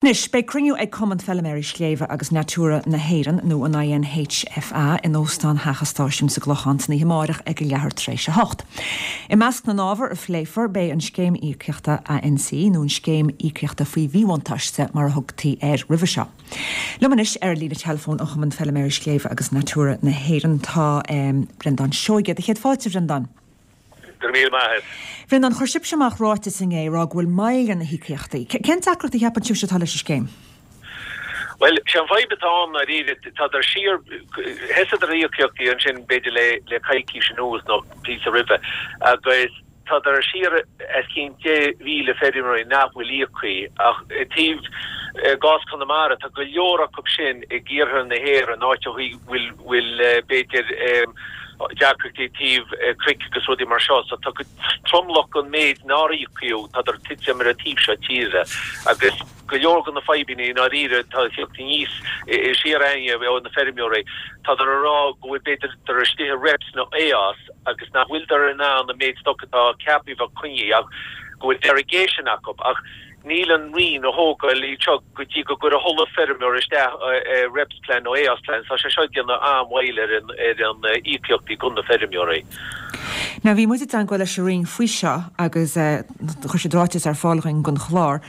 Anois, beidh cruinniú ag Cumann Feiliméaraí Sléibhe agus Natura na hÉireann, nó an INHFA, in Óstán Theach an Stáisiúin sa gClochán san oíche amáireach ag a leathuair tar éis 8. I measc na n-ábhar a phléifear beidh an Scéim Íocaíochta ANC, nó an Scéim Íocaíochta faoi Mhíbhuntáiste mar a thugtaí air roimhe seo. Liom anois ar an líne teileafóin ó Chumann Feiliméaraí Sléibhe agus Natura na hÉireann tá Breandán Seoige. Do chéad fáilte, a Bhreandáin. Go raibh míle maith agat. Bhreandáin, chuir sibhse amach ráiteas inné ag rá go bhfuil moill ar na híocaíochtaí. Cén deacracht a cheapann sibhse atá leis an scéim? Bhuel, sé an fadhb atá ann ndáiríre, tádar siar, thosaíodar íocaíochtaí ansin b'fhéidir le le coicís anuas nó píosa roimhe agus tádar siar os cionn 10,000 feirmeoirí nach bhfuil íoctha ach i dtaobh i gcás Conamara tá go leor acu sin i iarthar na hÉireann áit a bhfuil bhfuil b'fhéidir deacrachtaí i dtaobh cnoic agus rudaí mar seo. So tá tromlach den méid nár íocadh, tádar tite ar an taobh seo tíre agus go leor de na fadhbanna i ndáiríre atá ag tíocht aníos siar a'inne ó na feirmeoirí, tádar a rá go bhfuil b'fhéidir tádar istigh i REPS nó AOS agus nach bhfuiltear in ann an méid stoc atá ceaptha a bheith coinnithe ach go bhfuil derogation acu ach Níl an Roinn a thógáil iad seo go dtí go gcuirfidh chuile feirmeoir isteach REPS plan nó AOS plan. Tá sé seo ag déanamh an-mhoill ar an íocaíochtaí go na feirmeoirí. Now bhí muid i dteangmháil leis an Roinn faoi seo agus chuir siad ráiteas ar fáil dhuinn don chlár.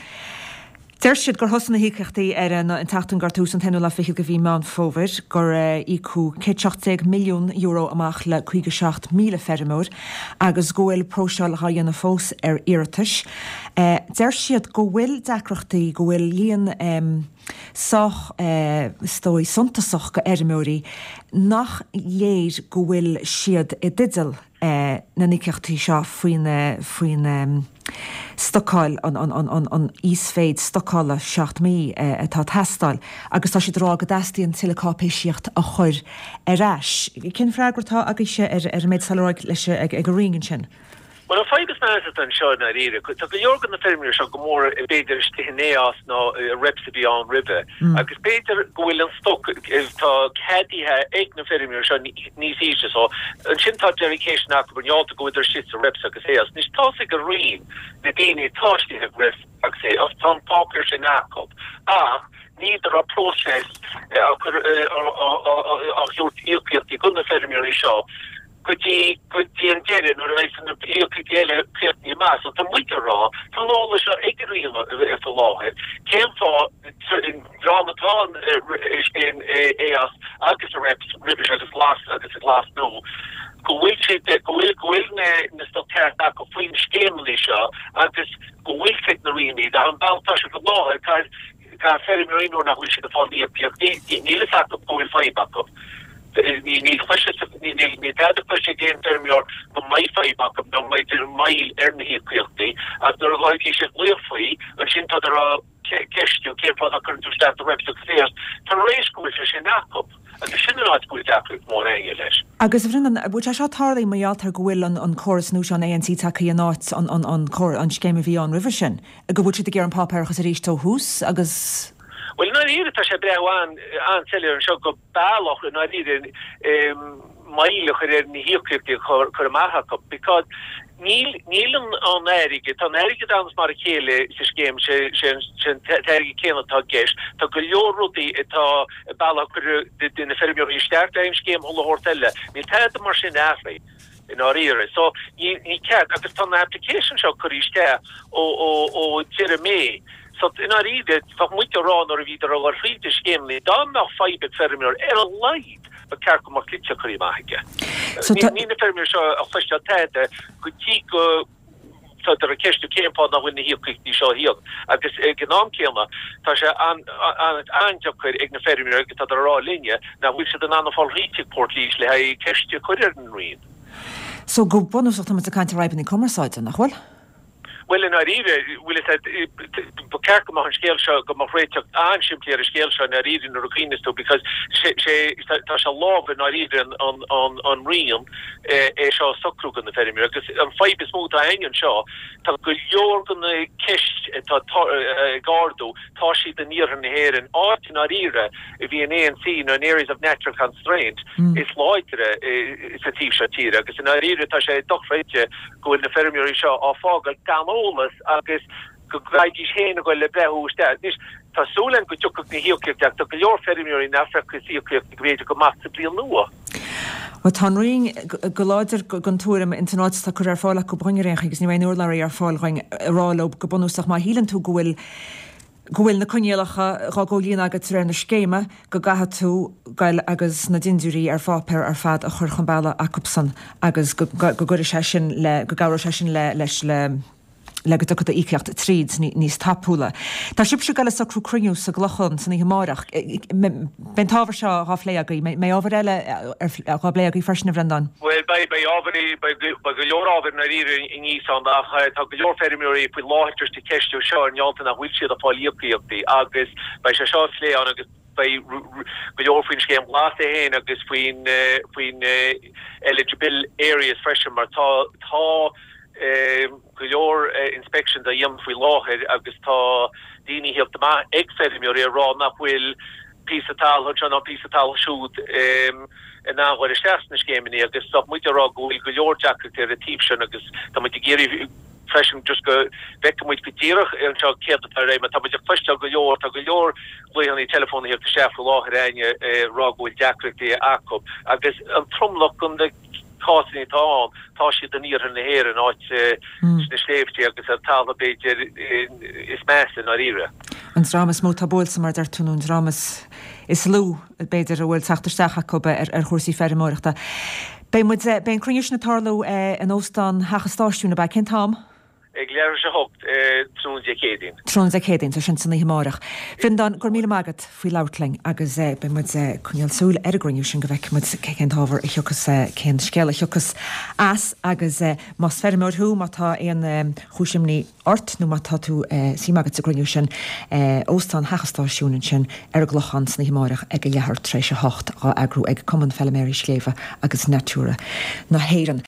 Deir siad gur thosaigh na híocaíochtaí ar an tseachtain gar tús an t-aonú lá fichead de mhí Meán Fómhair, gur íocadh €117 milliún amach le 57,000 feirmeoir agus go bhfuil próiseáil dhá dhéanamh fós ar iarratais. Deir siad go bhfuil deacrachtaí, go bhfuil líon sách, is dóigh, suntasach de fheirmeoirí nach léir go bhfuil siad i dteideal na n-íocaíochtaí seo faoin faoin stocáil, an íosmhéid stocála 7 mí atá ag teastáil agus tá siad ag rá go dteastaíonn tuilleadh cáipéisíocht a chur ar ais. Cén freagra atá agaibhse ar an méid atá le rá leis ag an Roinn ansin? Bhuel, an fadhb is measa atá anseo i ndáiríre, tá go leor de na feirmeoirí seo go mór b'fhéidir istigh in AOS nó i REPS a bhí ann roimhe agus b'fhéidir go bhfuil an stoc atá ceadaithe ag na feirmeoirí seo níos ísle so ansin tá derogation acu mar gheall go bhfuileadar istigh sa REPS agus AOS. Anois tá's ag an Roinn na daoine atá istigh i REPS agus AOS, tá an páipéar sin acu ach níltear á próiseas á chur á thabhairt íocaíochtaí go na feirmeoirí seo. go dtí go dtí an deireadh nuair a bheidh na híocaíochtaí eile críochnaithe amach. So tá muid ag rá, tá an eolas seo ag an Roinn faoi láthair, cén fáth dream atá in AOS agus i REPS roimhe seo agus glas agus a glas nua go bhfuil siad go bhfuil go bhfuil na na stoc ceart acu faoin scéimeanna seo agus go bhfuil siad na Roinn iad an bealach tá siad faoi láthair caithfidh Tá feirmeoirí nuair nach bhfuil siad ag fáil íocaíochtaí, níl fhios acu go bhfuil fadhb acu. Níl níl tada cloiste ag aon feirmeoir go mbeidh fadhb acu nó go mbeidh moill ar na híocaíochtaí ach nuair a bhí siad glaoch faoi, ansin tádar á ceistiú cén fáth nach gcuireann tú isteach do reps agus AOS tar éis go bhfuil sé sin acu agus sin an áit go bhfuil deacracht mhór againne leis. Agus a Bhreandáin, bhfuil sé seo tarlaithe mar gheall ar go bhfuil an córas nua seo, an ANC tagtha in áit an scéim a bhí ann roimhe sin? Go bhfuil siad ag iarraidh an páipéarachas arís ó thús agus. Bhuel, i ndáiríre, tá sé ag breathnú an-soiléir anseo go bealach, i ndáiríre, moill a chur ar na híocaíochtaí a chur amach acu because níl, níl an, an airgead, tá an airgead ann is mar a chéile sa scéim, sé, sé an, sé an t-airgead céanna atá i gceist. Tá go leor rudaí atá, bealach a cuireadh de na feirmeoirí isteach le an scéim chuile shórt eile. Níl tada mar sin athraithe. i ndáiríre. So, ní, ní ceart, agus tá na application seo curtha isteach ó, ó, ó deireadh May. So, i ndáiríre, bheadh muid ag rá nuair a bhíodar ag dul thríd na scéimeanna, dá mbeadh fadhb ag feirmeoir, ar a laghad, ba ceart go mbeadh litir curtha amach aige. So, tá. Níl na feirmeoirí seo ag cloisteáil tada go dtí go Tádar ag ceistiú cén fáth nach bhfuil na híocaíochtaí seo á híoc agus ag an am céanna tá sé an-deacair ag na feirmeoirí agus tádar ag rá linne nach bhfuil siad in ann a fáil thríd chuig Portlaoise le haghaidh ceist a chur ar an Roinn. So go bunúsach tá muid ag caint ar fhadhbanna cumarsáide, nach bhfuil? Bhuel, i ndáiríre, bhfuil fhios a'd, ba ceart go mbeadh an scéal seo, go mbeadh réiteach an-simplí ar an scéal seo i ndáiríre nuair a chuimhneos tú because sé, sé, tá sé i lámha i ndáiríre an, an, an, an Roinn é seo a socrú do na feirmeoirí agus an fadhb is mó atá againn anseo, tá go leor de na ceist atá ag ardú, tá siad in iarthar na hÉireann, áit i ndáiríre a bhí an ANC nó an Areas of Natural Constraint is láidre sa taobh seo tíre agus i ndáiríre tá sé dochreidte go bhfuil na feirmeoirí seo á fágáil gan eolas agus go gcaithfidís féin a ghoil le breathnú isteach. Anois. Tá súil againn go dtiocfaidh na híocaíochtaí ach tá go leor feirmeoirí nach bhfeicfeas íocaíochtaí go b'fhéidir go amach sa bhliain nua. Bhuel, tá an Roinn go láidir den tuairim ins an ráiteas atá curtha ar fáil acu dhúinn ar aon chaoi agus ní raibh aon urlabhraí ar fáil dhúinn a rá leo go bunúsach má shíleann tú go bhfuil go bhfuil na coinníollacha dhá gcomhlíonadh agat de réir na scéime go gcaithfidh tú goil agus na dindiúirí ar pháipéar ar fad a chur chun bealaigh acubsan agus go gcuirfidh sé sin le go gcabhróidh sé sin le leis le le go dtiocfaidh d'íocaíocht tríd níos tapúla. Tá sibhse ag goil ag socrú cruinniú sa gClochán san oíche amárach. Beidh an t-ábhar seo dhá phlé agaibh. Mbeidh ábhair eile dhá bplé agaibh freisin, a Bhreandáin? Bhuel, beidh, beidh ábhair, beidh go leor ábhair i ndáiríre aníos ann ach tá go leor feirmeoirí faoi láthair just ag ceistiú seo ar ndóigh nach bhfuil siad ag fáil íocaíochtaí agus beidh sé seo á phlé ann agus beidh go leor faoin Scéim Ghlas é féin agus faoin, faoin eligible areas freisin mar tá, tá, go leor inspections á dhéanamh faoi láthair agus tá daoine ag theacht amach ag feirmeoirí ag rá nach bhfuil píosa talún anseo ná píosa talún siúd in ann a dhul isteach sna scéimeanna agus tá muid ag rá go bhfuil go leor deacrachtaí ar an taobh sin agus tá muid ag iarraidh freisin just go bhfeicfidh muid go díreach anseo céard atá ar aghaidh mar tá muid ag cloisteáil go leor, tá go leor glaochanna teileafóin ag theacht isteach faoi láthair againn ag rá go bhfuil deacrachtaí acu agus an tromlach den cásanna atá ann, tá siad in iarthar na hÉireann, áit sna sléibhte agus ar talamh b'fhéidir is measa i ndáiríre. An dream is mó atá buailte, mar a deir tú, nó an dream is lú, b'fhéidir, a bhfuil teacht isteach acu ar chúrsaí feirmeoireachta. Beidh muid, beidh an cruinniú sin ag tarlú in Óstán Theach an Stáisiúin, ab ea? Cén t-am? Ag leathuair tar éis a 8 tráthnóna Dé Céadaoin. Tráthnóna Dé Céadaoin, so sin san oíche amárach. Bhreandáin, go raibh míle maith agat faoi labhairt linn agus beidh muid ag coinneáil súil ar an gcruinniú sin go bhfeicfidh muid cén t-ábhar a thiocfas, cén scéal a thiocfas as agus más feirmeoir thú, má tá aon chúis imní ort nó má tá tú suim agat sa gcruinniú sin, Óstán Theach an Stáisiúin ansin ar an gClochán san oíche amárach ag a leathuair tar éis a hocht, dhá eagrú ag Cumann Feilméaraí Sléibhe agus Natura na hÉireann.